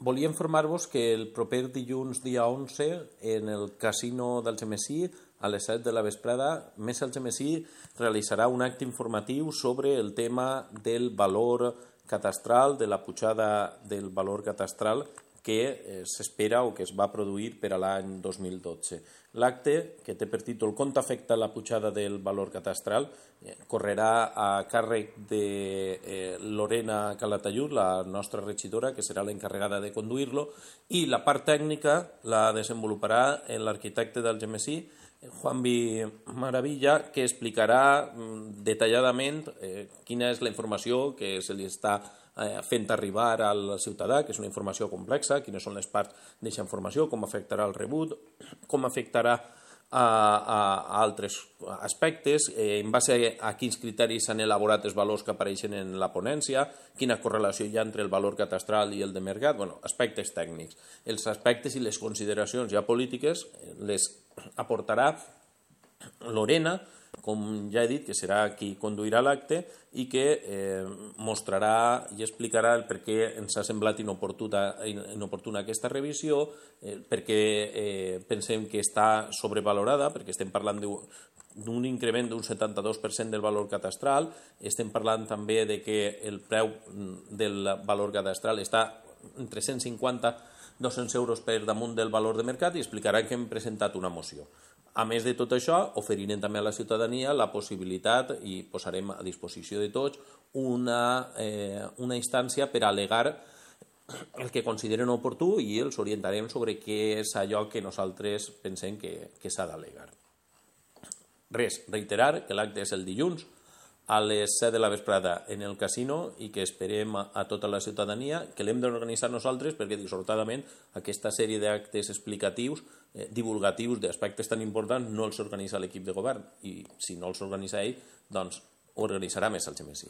Volia informar-vos que el proper dilluns, dia 11, en el casino d'Algemesí, a les 7 de la vesprada, Mesa Algemesí realitzarà un acte informatiu sobre el tema del valor catastral, de la pujada del valor catastral que s'espera o que es va produir per a l'any 2012. L'acte, que té per títol «Com t'afecta la pujada del valor catastral?», correrà a càrrec de Lorena Calatayud, la nostra regidora, que serà l'encarregada de conduir-lo, i la part tècnica la desenvoluparà l'arquitecte d'Algemesí, Juanvi Maravilla, que explicarà detalladament quina és la informació que se li està fent arribar al ciutadà, que és una informació complexa, quines són les parts d'aquesta informació, com afectarà el rebut, com afectarà a altres aspectes, en base a quins criteris s'han elaborat els valors que apareixen en la ponència, quina correlació hi ha entre el valor catastral i el de mercat, aspectes tècnics. Els aspectes i les consideracions ja polítiques les aportarà Lorena, com ja he dit, que serà qui conduirà l'acte i que mostrarà i explicarà el per què ens ha semblat inoportuna aquesta revisió, perquè pensem que està sobrevalorada, perquè estem parlant d'un increment d'un 72% del valor catastral, estem parlant també de que el preu del valor catastral està entre 150 i 200 euros per damunt del valor de mercat, i explicarà que hem presentat una moció. A més de tot això, oferirem també a la ciutadania la possibilitat, i posarem a disposició de tots, una instància per al·legar el que consideren oportú i els orientarem sobre què és allò que nosaltres pensem que s'ha d'al·legar. Res, reiterar que l'acte és el dilluns a les 7 de la vesprada en el casino i que esperem a tota la ciutadania, que l'hem d'organitzar nosaltres perquè dissortadament aquesta sèrie d'actes explicatius, divulgatius d'aspectes tan importants no els organitza l'equip de govern, i si no els organitza ell, doncs ho organitzarà Mesa Algemesí.